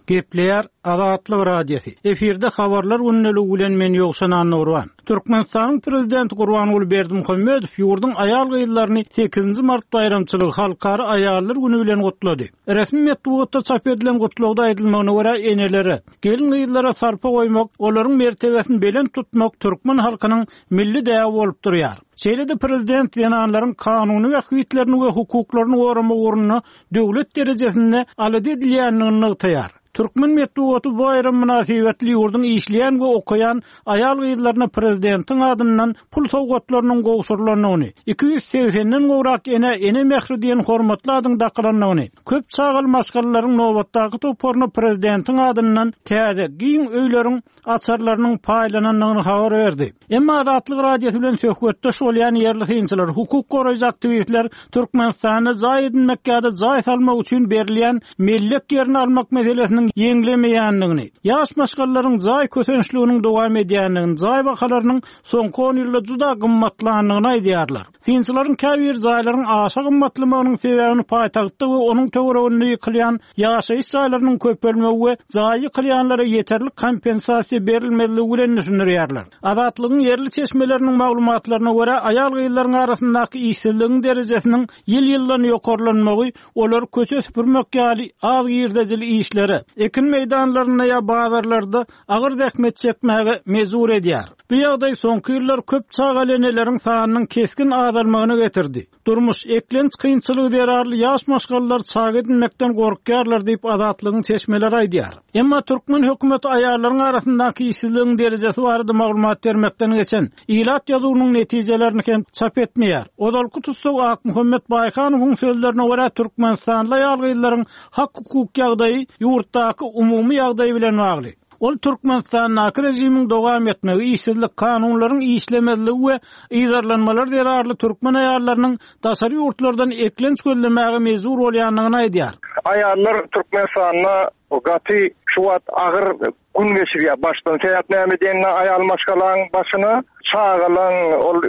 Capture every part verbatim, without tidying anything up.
Gepleýär Azatlyk Radiosy. Efirde habarlar gündeligi bilen men Ýowşan Annurban. Türkmenistanyň prezidenti Gurbanguly Berdimuhamedow ýurduň aýal gyzlaryny sekizinji mart baýramçylygy Halkara aýallar güni bilen gutlady. Resmi metbugatda çap edilen gutlagda aýdylmagyna görä enelere, gelin gyzlara sarpa goýmak, olaryň mertebesini belent tutmak türkmen halkynyň milli däbi bolup durýar. Şeýle-de prezident zenanlaryň kanuny bähbitlerini we hukuklaryny goramak ugrunda döwlet derejesinde alada edilýändigini nygtaýar. Türkmen metbugaty bu baýram mynasybetli ýurduň işleýän we okaýan aýal gyzlaryna prezidentiň adyndan pul sowgatlarynyň gowşurylandygyny, iki ýüz segsenden gowrak ene ene mähri diýen hormatly adyň dakylandygyny, köp çagaly maşgalalaryň nobatdaky toparyna prezidentiň adyndan täze giň öýleriň açarlarynyň paýlanandygyny habar berdi. Emma Azatlyk Radiosy bilen söhbetdeş bolýan ýerli synçylar, hukuk goraýjy aktiwistler Türkmenistanda jaý edinmek ýa-da jaý salmak üçin berilýän mellek ýerini almak meselesiniň ýeňlemeýändigini, ýaş maşgalalaryň jaý kösençliginiň dowam edýändigini, jaý bahalarynyň soňky on ýylda juda gymmatlandygyny aýdýarlar. Synçylaryň käbir jaýlaryň aşa gymmatlamagynyň sebäbini paýtagtda we onuň töwereginde ýykylýan ýaşaýyş jaýlarynyň köpelmegi we jaý ýykylýanlara ýeterlik kompensasiýa berilmezligi bilen düşündirýärler. Azatlygyň ýerli çeşmeleriniň maglumatlaryna görä, aýal gyzlaryň arasyndaky işsizligiň derejesiniň ýyl-ýyldan ýokarlanmagy olar köçe süpürmek ýaly az girdejili işlere, ekin meýdanlarynda ýa bazarlarda agyr zähmet çekmäge mejbur edýär. Bu ýagdaý soňky ýyllar köp çagaly eneleriň sanynyň kesgin azalmagyna getirdi. Durmuş eklenç kynçylygy zerarly ýaş maşgalalar çaga edinmekden gorkýarlar diýip Azatlygyň çeşmeleri aýdýar. Emma türkmen hökümeti aýallaryň arasyndaky işsizligiň derejesi barada maglumat bermekden geçen ilat ýazuwynyň netijelerini hem çap etmeýär. Ozalky tussag Akmuhammet Baýhanowyň sözlerine görä Türkmenistanly aýal gyzlaryň hak hukuk ýagdaýy ýurtdaky umumy ýagdaý bilen bagly. Ol Türkmenistandaky režimiň dowam etmegi, işsizlik, kanunlaryň işlemezligi we yzarlanmalar zerarly türkmen aýallarynyň daşary ýurtlardan eklenç gözlemäge mejbur bolýandygyny aýdýar. Aýallar Türkmenistanda gaty şu wagt agyr gün geçirýär. Başdan sebäp näme diýende aýal maşgalaň başyna çagalan ol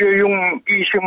öýüň işiň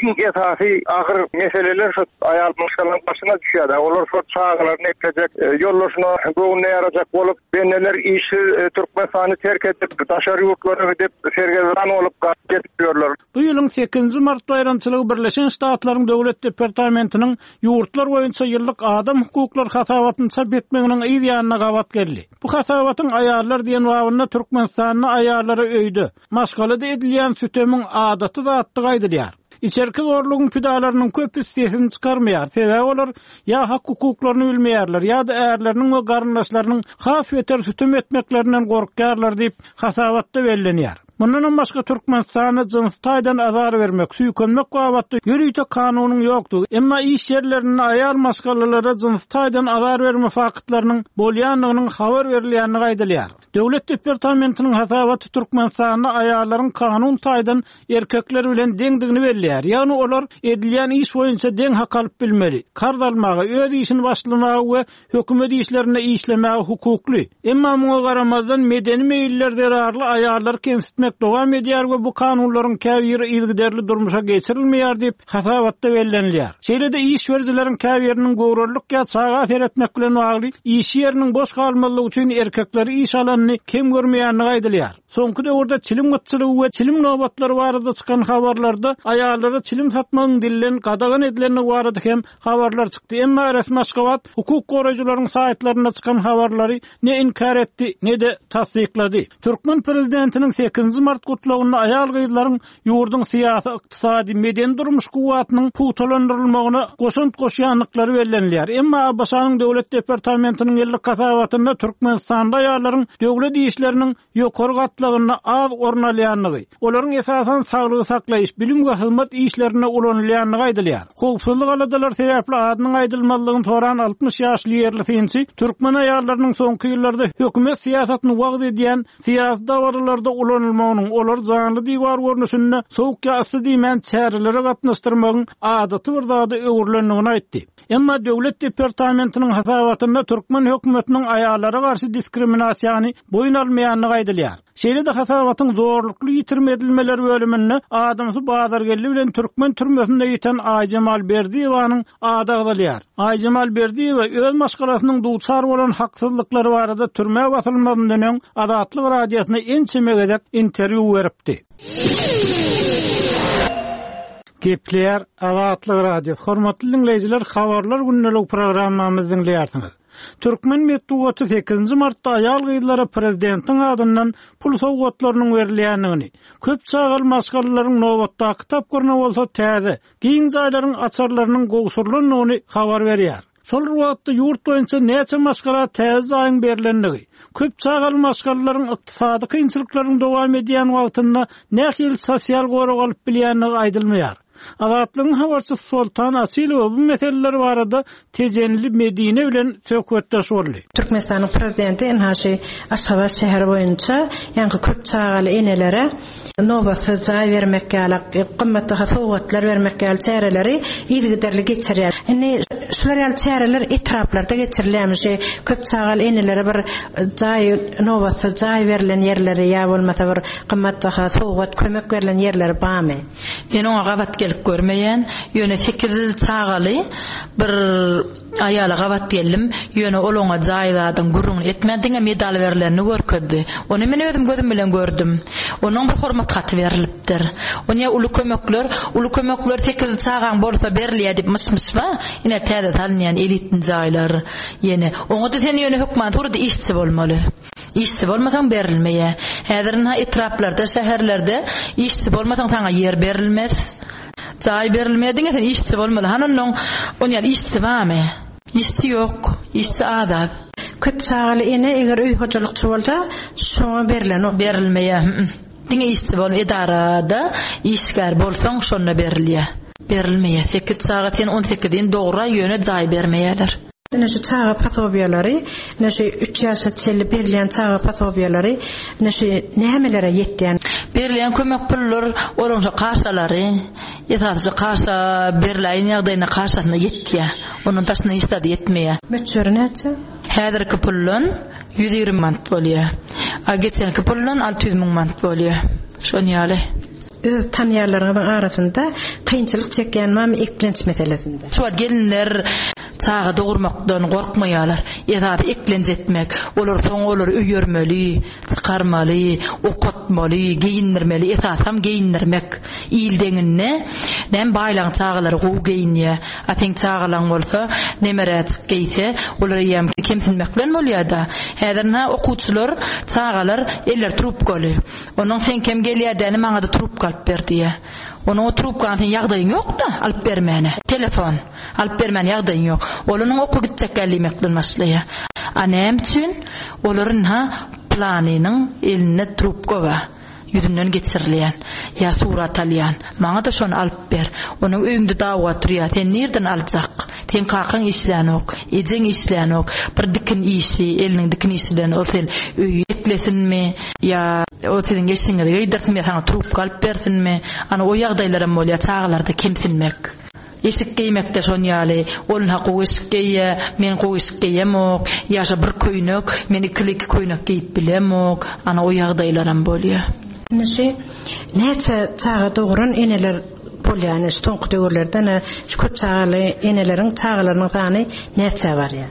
iň esasy agyr meseleler şu aýal maşgalaň başyna düşýär. Olar şu çagalaryny eklejek, ýollaşyna göwnüne ýarajak bolup, bendeler işsiz Türkmenistany terk edip, daşary ýurtlara gidip, sergezdan bolup gaçyp ýörler. Bu ýylyň sekizinji mart baýramçylygy Birleşen Ştatlaryň Döwlet Departamentiniň ýurtlar boýunça ýyllyk adam hukuklary hasabatyny çap etmeginiň yz ýanyna gabat geldi. Bu hasabatyň aýallar diýen babynda Türkmenistanda aýallara öýde, maşgalada edilýän sütemiň adaty zatdygy aýdylýar. Içerki zorlugyň pidalarynyň köpüsi sesini çykarmaýar. Sebäbi olar ýa hak hukuklaryny bilmeýärler, ýa-da ärleriniň we garyndaşlarynyň has beter sütem etmeklerinden gorkýarlar diýip hasabatda bellenýär. Mundan başga Türkmenistanda jyns taýdan azar bermek, süýkenmek babatda ýörite kanunyň ýokdugy, emma iş ýerlerinde aýal maşgalalara jyns taýdan azar berme faktlarynyň bolýandygynyň habar berilýändigi aýdylýar. Döwlet departamentiniň hasabaty Türkmenistanda aýallaryň kanun taýdan erkekler bilen deňdigini belleýär. Ýagny olar edilýän iş boýunça deň hak alyp bilmeli, karz almaga, öz işini başlamaga we hökümet işlerinde işlemäge hukukly. Emma muňa garamazdan medeni meýiller zerarly aýallar kemsitmek dowam edýär we bu kanunlaryň käbiri yzygiderli durmuşa geçirilmeýär diýip hasabatda bellenilýär. Şeýle-de iş berijileriň käbiriniň göwrelilik ýa çaga seretmek bilen bagly iş ýeriniň boş galmazlygy üçin erkekleri iş alanyny kem görmeýändigi aýdylýar. Soňky döwürde çilim gytçylygy we çilim nobatlary barada çykan habarlarda aýallara çilim satmagyň dillen gadagan edilendigi barada hem habarlar çykdy. Emma resmi Aşgabat hukuk goraýjylaryň saýtlarynda çykan habarlary ne inkar etdi, ne-de tasdiklady. Türkmen prezidentiniň sekizinji mart gutlagynda aýal gyzlaryň ýurduň syýasy, ykdysady, medeni durmuş kuwwatynyň pugtalandyrylmagyna goşant goşýandyklary bellenilýär. Emma A B Ş-nyň Döwlet Departamentiniň ýyllyk hasabatynda Türkmenistanda aýallaryň döwlet işleriniň ýokary gatlagynda az orun alýandygy, olaryň esasan saglygy saklaýyş, bilim we hyzmat işlerinde ulanylýandygy aýdylýar. Howpsuzlyk aladalary sebäpli adynyň aýdylmazlygyny soran altmyş ýaşly ýerli synçy türkmen aýallarynyň soňky ýyllarda hökümet syýasatyny wagyz edýän syýasy dabaralarda ulanylmagynyň, olar janly diwar görnüşinde sowuk ýa yssy diýmän çärelere gatnaşdyrmagyň adaty bir zada öwrülendigini aýtdy. Emma Döwlet Departamentiniň hasabatynda türkmen hökümetiniň aýallara garşy diskriminasiýany boýun almaýandygy aýdylýar. Şeýle-de hasabatyň zorlukly ýitirim edilmeler bölüminde adamsy Bazargeldi bilen türkmen türmesinde ýiten Aýjemal Berdiýewanyň ady agzalýar. Aýjemal Berdiýewa öz maşgalasynyň duçar bolan haksyzlyklary barada türmä basylmazyndan öň Azatlyk Radiosyna ençeme gezek interwýu beripdi. Gepleýär Azatlyk Radiosy. Hormatly dinleýjiler, habarlar gündelik programmamyzy diňleýärsiňiz. Türkmen metbugaty sekizinji martda aýal gyzlara prezidentiň adyndan pul sowgatlarynyň berilýändigini, köp çagaly maşgalalaryň nobatdaky tapgyryna bolsa täze, giň jaýlaryň açarlarynyň gowşurylandygyny habar berýär. Şol bir wagtda ýurt boýunça näçe maşgala täze jaýyň berilendigi, köp çagaly maşgalalaryň ykdysady kynçylyklaryň dowam edýän wagtynda nähili sosial gorag alyp bilýändigi aýdylmaýar. Azatlygyň habarçysy Soltan Açylowa bu meseleler barada Tejenli Medine bilen söhbetdeş boldy. Türkmenistanyň prezidenti ynha şu Aşgabat şäheri boýunça ýaňky köp çagaly enelere nobatsyz jaý bermek ýaly, gymmatbaha sowgatlar bermek ýaly çäreleri yzygiderli geçirýär. Indi şular ýaly çäreler etraplarda geçirilýärmi? Şu köp çagaly enelere bir jaý, nobatsyz jaý berlen ýerleri ýa bolmasa bir gymmatbaha sowgat, kömek berlen ýerleri barmy? Men oňa gabat gelip görmeýän, ýöne sekiz çagaly bir aýala gabat geldim, ýöne ol oňa jaý zadyň gürrüňini etmän, diňe medal berlenini görkezdi. Ony men özüm gözüm bilen gördüm. Onuň bir hormat haty berilipdir. Oňa uly kömekler, uly kömekler sekiz çagaň bolsa berilýär diýip myş-myş bar. Ine täze salynýan elitli jaýlar ýene. Oňa da sen ýöne hökman surada işçi bolmaly. Işçi bolmasaň berilmeýär. Häzir ynha etraplarda, şäherlerde işçi bolmasaň saňa ýer berilmez. Jaý berilmeýär, diňe sen işçi bolmaly. Han onnoň onýan işçi barmy? Işçi ýok, işçi az-az. Köp çagaly ene eger öý hojalykçy bolsa, şoňa berilen ok. Berilmeýär. Diňe işçi bol, edarada işgär bolsaň şonda berilýär. Berilmeýär. Sekiz çaga sen on sekizin dogra ýöne jaý bermeýärler. Ine şu çaga posobiýalary, ine şu üç ýaşa çenli berilýän çaga posobiýalary, ine şu nämelere ýetýän? Berilýän kömek pullar, olaryň şu kaşalary, esasy şu kaşa beriläýen ýagdaýynda kaşasyna ýetýär. Onuň daşyna hiç zat ýetmeýär. Möçberi näçe? Häzirki puldan ýüz ýigrimi manat bolýar. A geçenki puldan alty ýüz müň manat bolýar. Şon ýaly. Öz tanýarlaryňyzyň arasynda kynçylyk çekýän barmy eklenç meselesinde? Şu wagt gelinler çaga dogurmakdan gorkmaýarlar. Esasy eklenç etmek, olar soň olary öýermeli, çykarmaly, okatmaly, geýindirmeli, esasam geýindirmek. Il deňinde näme baýlaň çagalary gowy geýinýär. A seň çagalaň bolsa nemeräçik geýse, olar eýýäm kemsinmek bilen bolýar-da. Häzir ynha okuwçylar, çagalar eller trubkaly. Onuň sen kem gelýär däni maňa da trubka alyp ber diýýär. Onuň o trubkany sen ýagdaýyň ýok-da alyp bermäne. Telefon alyp bermäne ýagdaýyň ýok. Onuň oku gitjek gel diýmek bilen başlaýar. A näme üçin? Olar ynha planynyň elinde trubka bar. Ýüzünden geçirilýän, ýa surat alýan. Maňa da şony alyp ber. Onuň öýünde dawga turýar. Sen nirden aljak? Sen kakaň işlänok, ejeň işlänok. Bir dikin işi, eliniň dikin işi bilen ol sen öýi eklesinmi? Ýa o siziň eşigiňizi geýdirsinmi, ýa saňa trubka alyp bersinmi? Ana o ýagdaýlaram bolýar çagalarda kemsinmek. Eşik geýmekde şon ýaly, ol ha gowy eşik geýýä, men gowy eşik geýemok, ýa şo bir köýnek, men ikili iki köýnek geýip bilemok, ana o ýagdaýlaram bolýar. Ine şu näçe çaga dogran eneler bolýar, ine şu soňky döwürlerde ine şu köp çagaly eneleriň çagalarynyň sany näçe barýar?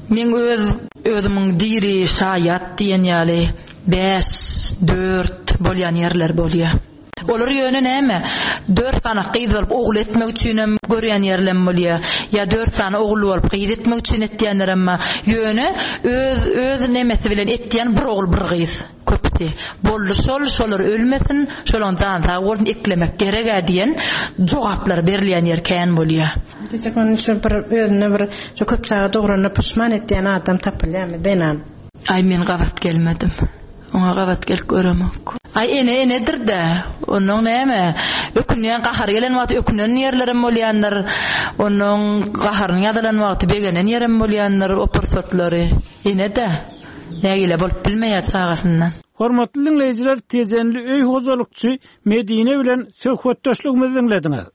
Men öz özümiň diri şaýat diýen ýaly bäş, dört bolýan ýerler bolýar. Olar ýöne näme? Dört sany gyz bolup ogul etmek üçin hem görýän ýerlem bolýar. Ýa dört sany ogul bolup gyz etmek üçin etýänler hem bar. Ýöne öz, öz nemesi bilen etýän bir ogul bir gyz köpüsi. Boldy şol, şolar ölmesin, şolaň jany sag bolsun, eklemek gerek-ä diýen jogaplar berilýän ýer kän bolýar. Diýjek ony şu bir özüne bir şu köp çaga dogranda puşman etýän adam tapylýarmy, zenan? Aý men gabat gelmedim. Oňa gabat gelip göremok. Aý ene enedir de. Onuň näme? Ökünýän gahar gelen wagty ökünen ýerlerim bolýandyr. Onuň gaharyny ýazylan wagty begenen ýerim bolýandyr o pursatlary. Ene de nägile bolup bilmeýär çagasyndan. Hormatly dinleýjiler, Tejenli öý hojalykçy Medine bilen söhbetdeşligimizi dinlediňiz.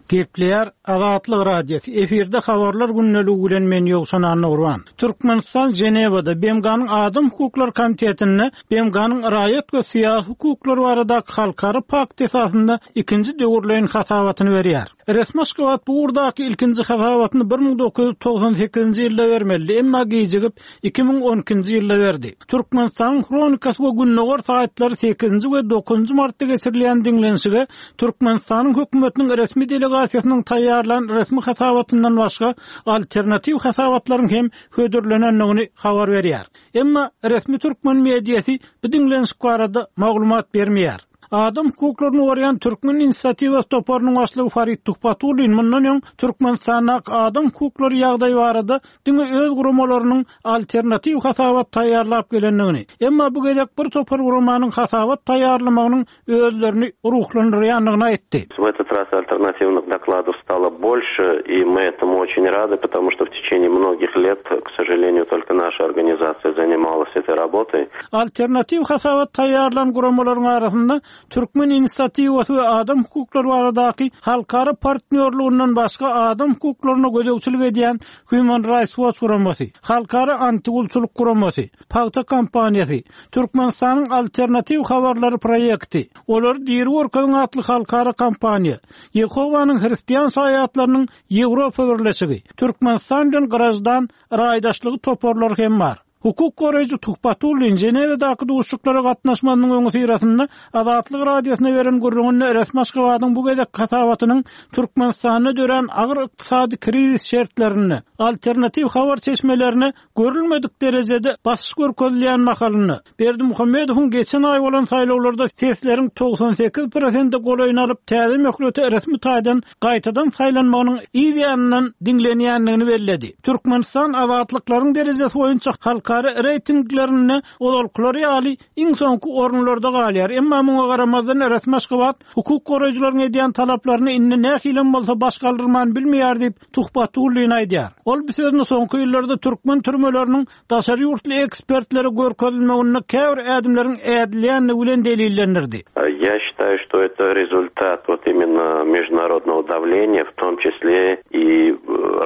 Gepleýär Azatlyk Radiosy. Efirde habarlar gündeligi bilen men Ýowşan Annagurban. Türkmenistan Ženewada B M G-nyň Adam hukuklary komitetinde B M G-nyň raýat we syýasy hukuklary baradaky halkara pakt esasynda ikinji döwürleýin hasabatyny berýär. Resmi Aşgabat bu ugurdaky ilkinji hasabatyny bir müň dokuz ýüz togsan sekizinji ýylda bermeli, emma gijigip iki müň on ikinji ýylda berdi. Türkmenistanyň Hronikasy we Gündogar saýtlary sekizinji we dokuzynjy martda geçirilýän diňlenişige Türkmenistanyň hökümetiniň resmi delegasiýasynyň taýýarlan resmi hasabatyndan başga alternatiw hasabatlaryň hem hödürlenendigini habar berýär. Emma resmi türkmen mediasy bu diňlenişik barada maglumat bermeýär. Adam hukuklaryny goraýan Türkmen inisiatiwasy toparynyň başlygy Farid Tuhbatullin mundan öň Türkmenistandaky adam hukuklary ýagdaýy barada diňe öz guramalarynyň alternatiw hasabat taýýarlap gelendigini, emma bu gezek bir topar guramanyň hasabat taýýarlamagynyň özlerini ruhlandyrýandygyny aýtdy. В этот раз альтернативных докладов стало больше, и мы этому очень рады, потому что в течение многих лет, к сожалению, только наша организация занималась этой работой. Alternatiw hasabat taýýarlan guramalaryň arasynda Türkmen inisiatiwasy we adam hukuklary baradaky halkara partnýorlugyndan başga adam hukuklaryna gözegçilik edýän Human Rights Watch guramasy, Halkara antigulçulyk guramasy, Pagta kampaniýasy, Türkmenistanyň alternatiw habarlary proýekti, Olary diri görkeziň atly halkara kampaniýa, Ýehowanyň Hristian şaýatlarynyň Ýewropa birleşigi, Türkmenistan bilen graždan raýdaşlygy toparlary hem bar. Hukuk goraýjy Tuhbatullin Ženewadaky duşuşyklara gatnaşmagynyň öňüsyrasynda Azatlyk Radiosyna beren gürrüňinde resmi Aşgabadyň bu gezek hasabatynyň Türkmenistanda dörän agyr ykdysady krizis şertlerinde alternatiw habar çeşmelerine görülmedik derejede basyş görkezilýän mahalynda Berdimuhamedowyň geçen aý bolan saýlawlarda sesleriň togsan sekiz prosente golaýyny alyp täze möhlete resmi taýdan gaýtadan saýlanmagynyň yz ýanyndan diňlenýändigini belledi. Türkmenistan azatlyklaryň derejesi boýunça halkara reýtinglerinde ozalkylary ýaly iň soňky orunlarda galýar. Emma muňa garamazdan resmi Aşgabat hukuk goraýjylaryň edýän talaplaryny indi nähilem bolsa baş galdyrman bilmeýär diýip Tuhbatullin aýdýar. Ol bu sözüni soňky ýyllarda türkmen türmeleriniň daşary ýurtly ekspertlere görkezilmeginde käbir ädimleriň ädilýändigi bilen delillendirdi. Я считаю, что это результат вот именно международного давления, в том числе и э,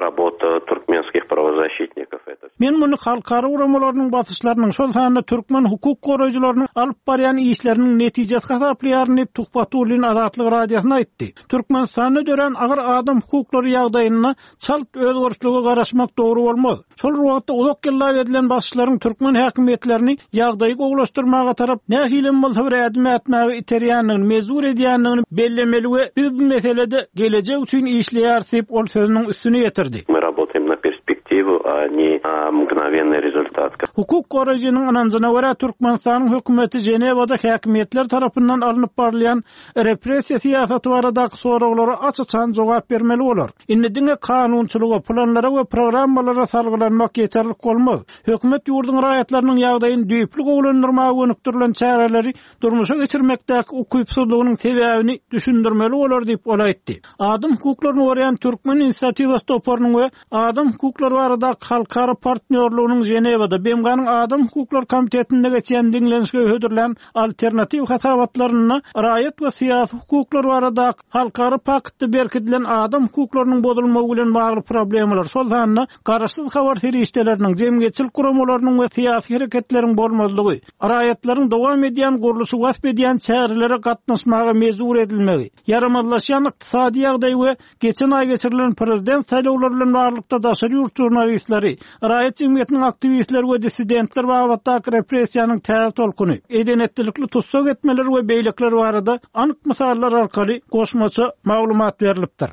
работа туркменских правозащитников. Это Men muny halkara guramalarynyň basyşlarynyň, şol sanda türkmen hukuk goraýjylarynyň alyp barýan işleriniň netijesi hasaplaýaryn diýip Tuhbatullin Azatlyk Radiosyna aýtdy. Türkmenistanda dörän agyr adam hukuklary ýagdaýyna çalt özgerişlige garaşmak dogry bolmaz. Şol wagtda uzak ýyllar edilen basyşlaryň türkmen häkimiýetlerini ýagdaýy gowulaşdyrmaga tarap nähilem bolsa bir ädim ätmäge iterýändigini, mejbur edýändigini bellemeli we biz bu meselede gelejek üçin işleýäris diýip ol sözüniň üstüne ýetirdi. Мы работаем на перспективу, а не на мгновенный результат. Hukuk goraýjynyň ynanjyna görä Türkmenistanyň hökümeti Ženewada häkimiýetler tarapyndan alnyp barylýan repressiýa syýasaty baradaky soraglara aç-açan jogap bermeli bolar. Indi diňe kanunçylyga, planlara we programmalara salgylanmak ýeterlik bolmaz. Hökümet ýurduň raýatlarynyň ýagdaýyny düýpli gowulandyrmaga gönükdirilen çäreleri durmuşa geçirmekdäki ukypsyzlygynyň sebäbini düşündirmeli bolar diýip ol aýtdy. Adam hukuklaryny goraýan Türkmen inisiatiwasy toparynyň we adam hukuklary baradaky halkara partnýorlugynyň Ženewada B M G-nyň Adam hukuklary komitetinde geçen diňlenişige hödürlän alternatiw hasabatlarynda raýat we syýasy hukuklar baradaky halkara paktda berkidilen adam hukuklarynyň bozulmagy bilen bagly problemalar, şol sanda garaşsyz habar serişdeleriniň, jemgyýetçilik guramalarynyň we syýasy hereketleriň bolmazlygy, raýatlaryň dowam edýän gurluşy wasp edýän çärelere gatnaşmaga mejbur edilmegi, ýaramazlaşýan ykdysady ýagdaý we geçen aý geçirilen prezident saýlawlary bilen baglylykda daşary ýurt žurnalistleri, raýat jemgyýetiniň aktiwistleri we dissidentler babatdaky repressiýanyň täze tolkuny, edenetlilikli tussag etmeler we beýlekiler barada anyk mysallar arkaly goşmaça maglumat berilipdir.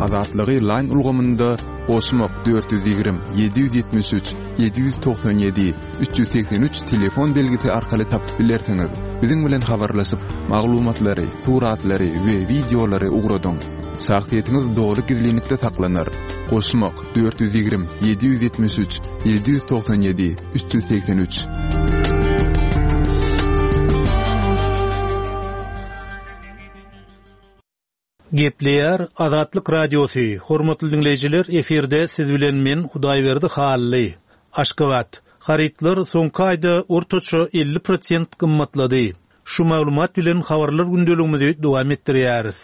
Azatlygy Line ulgamynda goşmak dört ýüz ýigrimi ýedi ýüz ýetmiş üç ýedi ýüz togsan ýedi üç ýüz segsen üç telefon belgisi arkaly tapyp bilersiňiz. Biziň bilen habarlaşyp, maglumatlary, suratlary we wideolary ugradyň. Şahsyýetiňiz doly gizlinlikde saklanar. Goşmak dört ýüz ýigrimi ýedi ýüz ýetmiş üç ýedi ýüz togsan ýedi üç ýüz segsen üç. Gepleýär Azatlyk Radiosy. Hormatly dinleýjiler, efirde siz bilen men Hudaýberdi Hally. Aşgabat. Harytlar soňky aýda ortaça elli prosent gymmatlady. Şu maglumat bilen habarlar gündeligimizi dowam etdirýäris.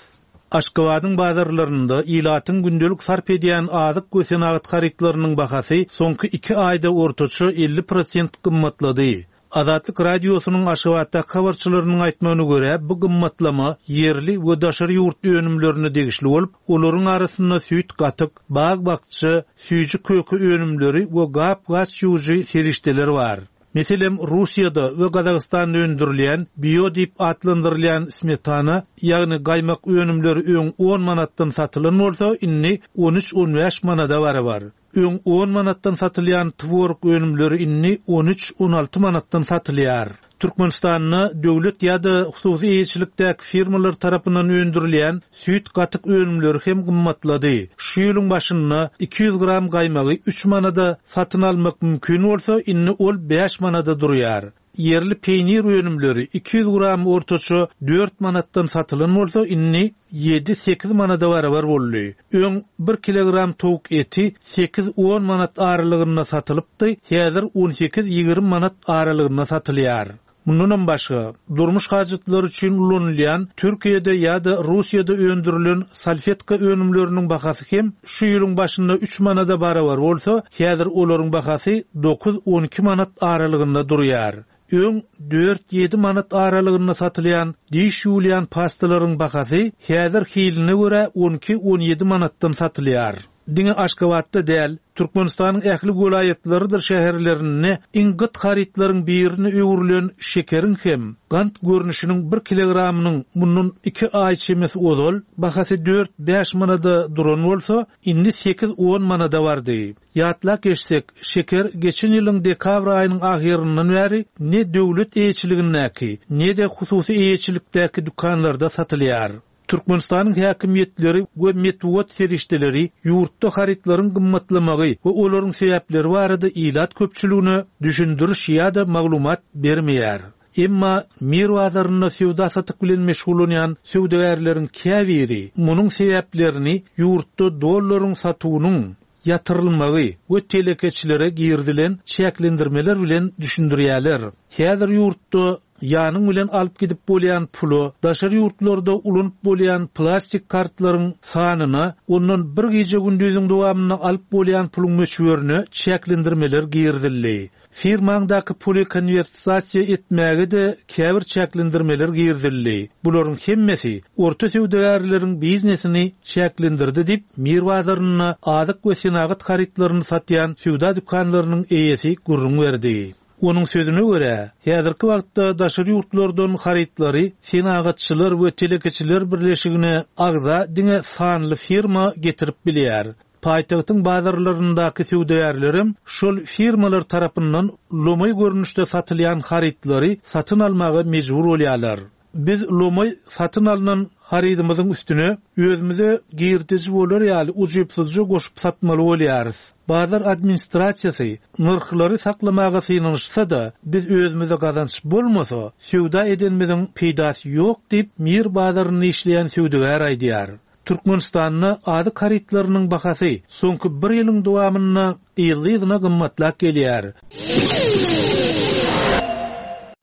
Aşgabadyň bazarlarynda ilatyň gündelik sarp edýän azyk we senagat harytlarynyň bahasy soňky iki aýda ortaça elli prosent gymmatlady. Azatlyk radiosynyň Aşgabatdaky habarçylarynyň aýtmagyna görä, bu gymmatlama ýerli we daşary ýurt önümlerine degişli bolup, olaryň arasynda süýt, gatyk, bag-bakja, süýji köke önümleri we gap-gaç ýuwujy serişdeler bar. Meselem, Russiýada we Gazagystanda öndürilýän bio diýip atlandyrylýan smetana, ýagny gaýmak önümleri öň on manatdan satylan bolsa, indi on üç-on bäş manada barabar. Öň on manatdan satylýan tworog önümleri indi on üç-on alty manatdan satylýar. Türkmenistanda döwlet ýa-da hususy eýeçilikdäki firmalar tarapyndan öndürilýän süýt gatyk önümleri hem gymmatlady. Şu ýylyň başynda iki ýüz gram gaýmagy üç manada satyn almak mümkin bolsa, indi ol bäş manada durýar. Ýerli peýnir önümleri iki ýüz gram ortaça dört manatdan satylan bolsa, indi ýedi-sekiz manada barabar boldy. Öň bir kilogram towuk eti sekiz-on manat aralygynda satylypdy, häzir on sekiz-ýigrimi manat aralygynda satylýar. Mundanam başga, durmuş hajatlary üçin ulanylýan Türkiýede ýa-da Russiýada öndürilen salfetka önümleriniň bahasy hem şu ýylyň başynda üç manada barabar bolsa, häzir olaryň bahasy dokuz-on iki manat aralygynda durýar. Öň dört-ýedi manat aralygynda satylýan diş ýuwulýan pastalaryň bahasy häzir hiline görä on iki-on ýedi manatdan satylýar. Diňe Aşgabatda däl, Türkmenistanyň ähli welaýatlarydyr şäherlerinde iň gyt harytlaryň birini öwrülen şekeriň hem gant görnüşiniň bir kilogramynyň mundan iki aý çemesi ozal bahasy dört-bäş manada duran bolsa, indi sekiz-on manada bardy. Ýatlap geçsek, şeker geçen ýylyň dekabr aýynyň ahyryndan bäri ne döwlet eýeçiligindäki, ne-de hususy eýeçilikdäki dükanlarda satylýar. Türkmenistanyň häkimiýetleri we metbugat serişdeleri ýurtda harytlaryň gymmatlamagy we olaryň sebäpleri barada ilat köpçüligine düşündiriş ýa-da maglumat bermeýär. Emma Mir bazarynda söwda satyk bilen meşgullanýan söwdagärleriň käbiri munuň sebäplerini ýurtda dollaryň satuwynyň ýatyrylmagy we telekeçilere girdilen çäklendirmeler bilen düşündirýärler. Häzir ýurtda ýanyň bilen alyp gidip bolýan pula, daşary ýurtlarda ulanyp bolýan plastik kartlaryň sanyna, ondan bir gije gündüziň dowamynda alyp bolýan puluň möçberine çäklendirmeler girdildi. Firmaňdaky puly konwertasiýa etmäge-de käbir çäklendirmeler girdildi. Bularyň hemmesi orta söwdagärleriň biznesini çäklendirdi diýip, Mir bazarynda azyk we senagat harytlaryny satýan söwda dükanlarynyň eýesi gürrüň berdi. Onuň sözüne görä, häzirki wagtda daşary ýurtlardan harytlary senagatçylar we telekeçiler birleşigine agza diňe sanly firma getirip bilýär. Paýtagtyň bazarlaryndaky söwdagärlerim şol firmalar tarapyndan lomaý görnüşde satylýan harytlary satyn almaga mejbur bolýarlar. Biz lomaý satyn alynan harydymyzyň üstüne özümize girdeji bolar ýaly ujypsyzja goşup satmaly bolýarys. Bazar administrasiýasy nyrhlary saklamaga synanyşsa-da, biz özümize gazanç bolmasa, söwda edenimiziň peýdasy ýok diýip Mir bazarynda işleýän söwdagär aýdýar. Türkmenistanda azyk harytlarynyň bahasy soňky bir ýylyň dowamynda ýyl-ýylyna gymmatlap gelýär.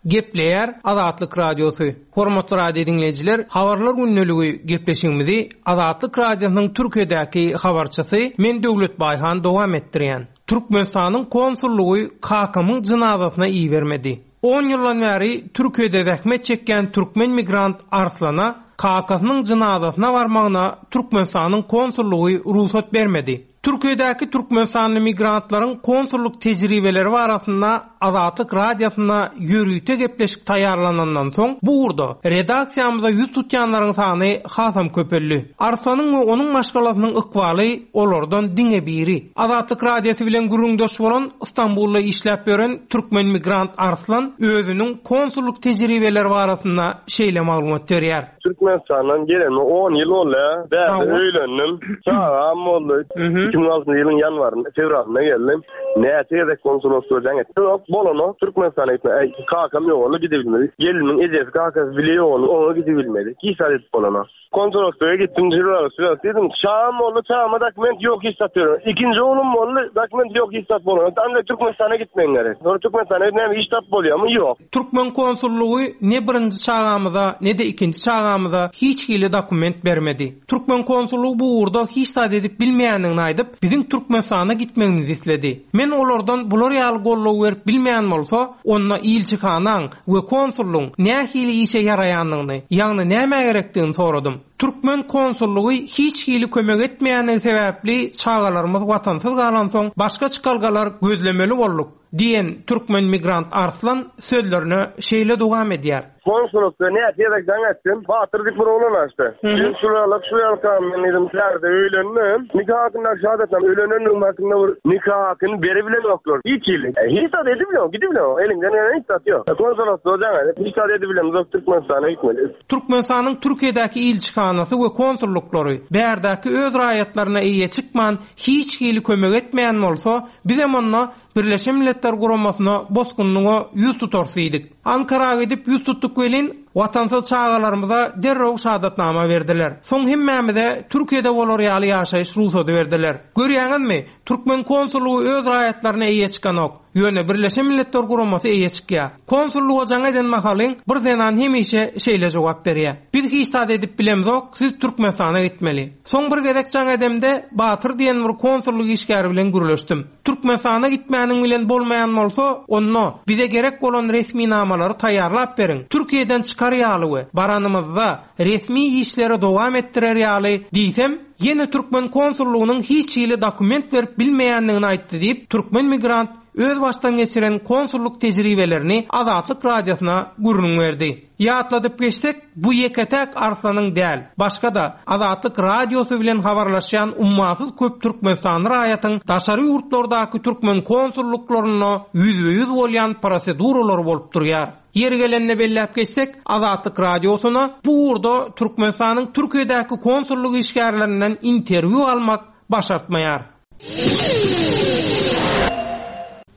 Gepleýär Azatlyk Radiosy. Hormatly radio dinleýjiler, habarlar gündeligi gepleşigimizi Azatlyk Radiosynyň Türkiýedäki habarçysy men Döwlet Baýhan dowam etdirýän. Türkmenistanyň konsullygy kakamyň jynazasyna ibermedi. On ýyldan bäri Türkiýede zähmet çekýän türkmen migrant Arslana kakasynyň jynazasyna barmagyna Türkmenistanyň konsullygy rugsat bermedi. Türkiýedäki Türkmenistanly migrantlaryň konsullyk tejribeleri barasynda Azatlyk Radiosyna ýörite gepleşik taýýarlanandan soň bu ugurda redaksiýamyza ýüz tutýanlaryň sany hasam köpeldi. Arslanyň we onuň maşgalasynyň ykbaly olardan diňe biri. Azatlyk Radiosy bilen gürrüňdeş bolan Istanbulda işläp ýören türkmen migrant Arslan özüniň konsullyk tejribeleri barasynda şeýle maglumat berýär. Türkmenistandan geleni on ýyl boldy. Bärde öýlendim. Çagam boldy. Iki müň altynjy ýylyň ýanwarynda, fewralynda geldim. Näçe gezek konsulostwa jaň etdim. Ýok, bolanok. Türkmenistana gitme. Äý, kakam ýogaldy, gidebilmedi. Geliniň ejesi, kakasy bile ýogaldy, oňa gidebilmedi. Hiç zat edip bolanok. Konsulostwa gitdim, jürler, jürler diýdim. Çagam boldy, çagama dokument ýok, hiç zat ýok. Ikinji oglum boldy, dokument ýok, hiç zat bolanok. Ancak Türkmenistana gitmegiň gerek. Sonra Türkmenistana gitmem iş tap bolýarmy? Ýok. Türkmen konsullygy ne birinji çagamyza, ne-de ikinji çagamyza hiç hili dokument bermedi. Türkmen konsullygy bu ugurda hiç zat edip bilmeýändigini aýdyp, biziň Türkmenistana gitmegimizi isledi. Men olardan bular ýaly gollow berip bilmeýän bolsa, onda ilçihanaň we konsullygyň nähili işe ýaraýandygyny, ýagny näme gerekdigini soradym. Türkmen konsullygy hiç hili kömek etmeýändigi sebäpli çagalarymyz watansyz galansoň başga çykalgalar gözlemeli bolduk diýen türkmen migrant Arslan sözlerine şeýle dowam edýär. Konsulostwa näçe gezek jaň etdim. Batyr diýip bir oglan açdy. Men şularlyk şularlyk men dedim täze öýlendim. Nika hakynda şahadatnam öýlenendigim hakynda bir nika hakyny beribilenoklar. Hiç hili. E, hiç zat edibilen, gidibilen. Eliňden gelen hiç zat ýok. Konsulostwa jaň edip, hiç zat edibilemzok Türkmenistana gitmeli. Türkmenistanyň Türkiýedäki ilçihanasy we konsullyklary bärdäki öz raýatlaryna eýe çykman hiç hili kömek etmeýän bolsa, bizem onda Birleşen Milletler Guramasyna bosgunlyga ýüz tutarys diýdik. Ankara gidip ýüz tutduk welin, watansyz çagalarymyza derrew şahadatnama berdiler. Soň hemmämize Türkiýede bolar ýaly ýaşaýyş rugsady berdiler. Görýäňizmi, Türkmen konsullygy öz raýatlaryna eýe çykanok. Ýöne Birleşen Milletler Guramasy eýe çykýar. Konsullyga jaň eden mahalyň bir zenan hemişe şeýle jogap berýär. Biz hiç zat edip bilemzok, siz Türkmenistana gitmeli. Soň bir gezek jaň edemde Batyr diýen bir konsullyk işgäri bilen gürleşdim. Türkmenistana gitmäniň bilen bolmaýan bolsa, onda bize gerek bolan resminamalary taýýarlap beriň. Türkiýeden çykar ýaly we baranymyzda resmi işleri dowam etdirer ýaly diýsem, ýene Türkmen konsullygynyň hiç hili dokument berip bilmeýändigini aýtdy diýip, türkmen migrant öz başdan geçiren konsullyk tejribelerini Azatlyk Radiosyna gürrüň berdi. Ýatladyp geçsek, bu ýeke-täk Arslanyň däl, başga-da Azatlyk Radiosy bilen habarlaşýan ummasyz köp Türkmenistanly raýatyň daşary ýurtlardaky türkmen konsullyklarynda ýüzbe-ýüz bolýan proseduralary bolup durýar. Ýeri gelende belläp geçsek, Azatlyk Radiosyna bu ugurda Türkmenistanyň Türkiýedäki konsullyk işgärlerinden interwýu almak başartmaýar.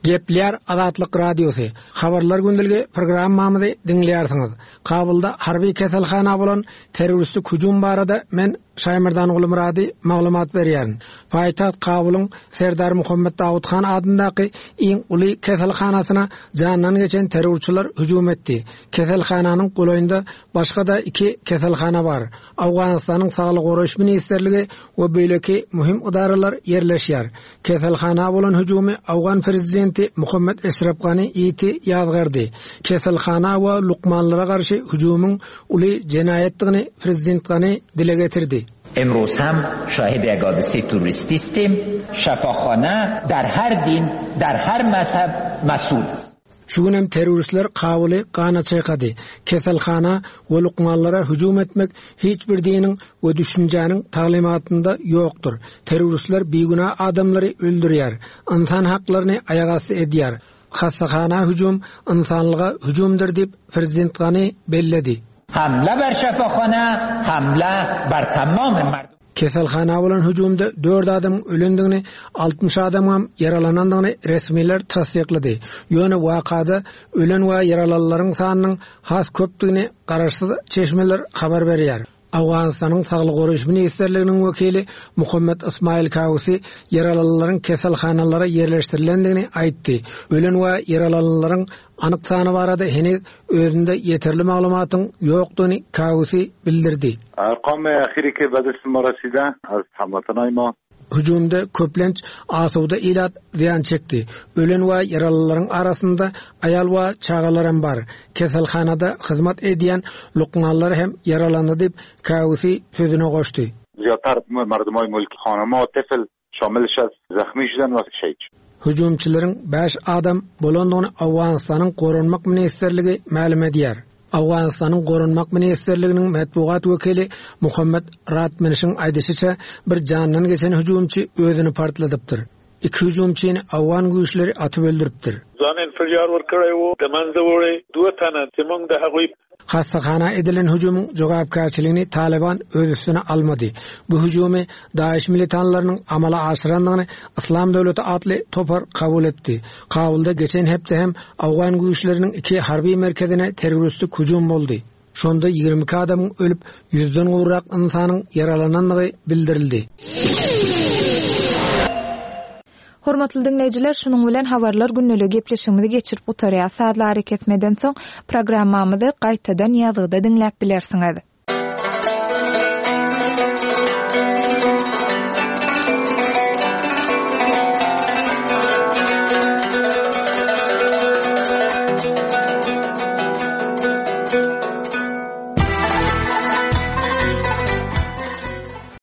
Gepler Azatlyk Radiosy. Habarlar gündeligi programmamyzy diňleýärsiňiz. Kabulda harby keselhana bolan terroristik hüjüm barada men Şaýmerdan Gulmurady maglumat berýärin. Paýtagt Kabulyň Serdar Muhammed Dawud Han adyndaky iň uly keselhanasyna jandan geçen terrorçylar hüjüm etdi. Keselhananyň golaýynda başga da iki keselhana bar. Awganystanyň Saglyk goraýyş ministrligi we beýleki möhüm edaralar ýerleşýär. Keselhana bolan hüjümi Awgan prezidenti Muhammed Eşref Gani ýiti ýazgardy. Keselhana we lukmanlara garşy hüjümiň uly jenaýatdygyny prezident Gani dile getirdi. امروز هم شاهد یک حادثه تروریستی هستیم. شفاخانه در هر دین، در هر مذهب مسئول است. Şu gün hem terroristler Kabuly gana çaykady. Keselhana we lukmanlara hüjüm etmek hiç bir diniň we düşünjäniň taglymatynda ýokdur. Terroristler bigünä adamlary öldürýär, insan haklaryny aýagasty edýär. Hassahana hüjüm insanlyga hüjümdir diýip prezident Gani belledi. حمله بر شفاخانه، حمله بر تمام مردم. Keselhana bolan hüjümde dört adamyň ölendigini, altmyş adamyň ýaralanandygyny resmiler tassyklady. Ýöne wakada ölen we ýaralanlaryň sanynyň has köpdügini garaşsyz çeşmeler habar berýär. Awganystanyň Saglyk goraýyş ministrliginiň wekili Muhammed Ismail Kawusi ýaralanlaryň keselhanalara ýerleşdirilendigini aýtdy. Ölen we ýaralanlaryň anyk sany barada heniz özünde ýeterli maglumatyň ýokdugyny Kawusi bildirdi. ارقام اخیری که به دست ما رسیده از هموطنای ما Hüjümde köplenç asuda ilat ziyan çekdi. Ölen we ýaralylaryň arasynda aýal we çagalar hem bar. Keselhanada hyzmat edýän lukmanlar hem ýaralandy diýip Kawusi sözüne goşdy. زیادتر مردمای ملک خانم‌ها طفل شاملش از زخمی شدن و شهید شدن. Hüjümçileriň bäş adam bolandygyny Awganystanyň Goranmak ministrligi mälim edýär. Awganystanyň Goranmak ministrliginiň metbugat wekili Muhammed Ratmenişiň aýdyşyça bir jandan geçen hüjümçi özüni partladypdyr. Iki hüjümçini Awgan güýçleri atyp öldüripdir. ځان انفجار ورکړی وو، د منځه وړي دوه تنه چې موږ د هغوی Hassahana edilen hüjümiň jogapkärçiligini Talyban öz üstüne almady. Bu hüjümi DAEŞ militanlarynyň amala aşyrandygyny Yslam döwleti atly topar kabul etdi. Kabulda geçen hepde hem Awgan güýçleriniň iki harby merkezine terroristik hüjüm boldy. Şonda ýigrimi iki adamyň ölüp, ýüzden gowrak ynsanyň ýaralanandygy bildirildi. Hormatly diňleýjiler, şunuň bilen habarlar gündeligi gepleşigimizi geçirip gutarýas. Sazly arakesmeden soň programmamyzy gaýtadan ýazgyda diňläp bilersiňiz.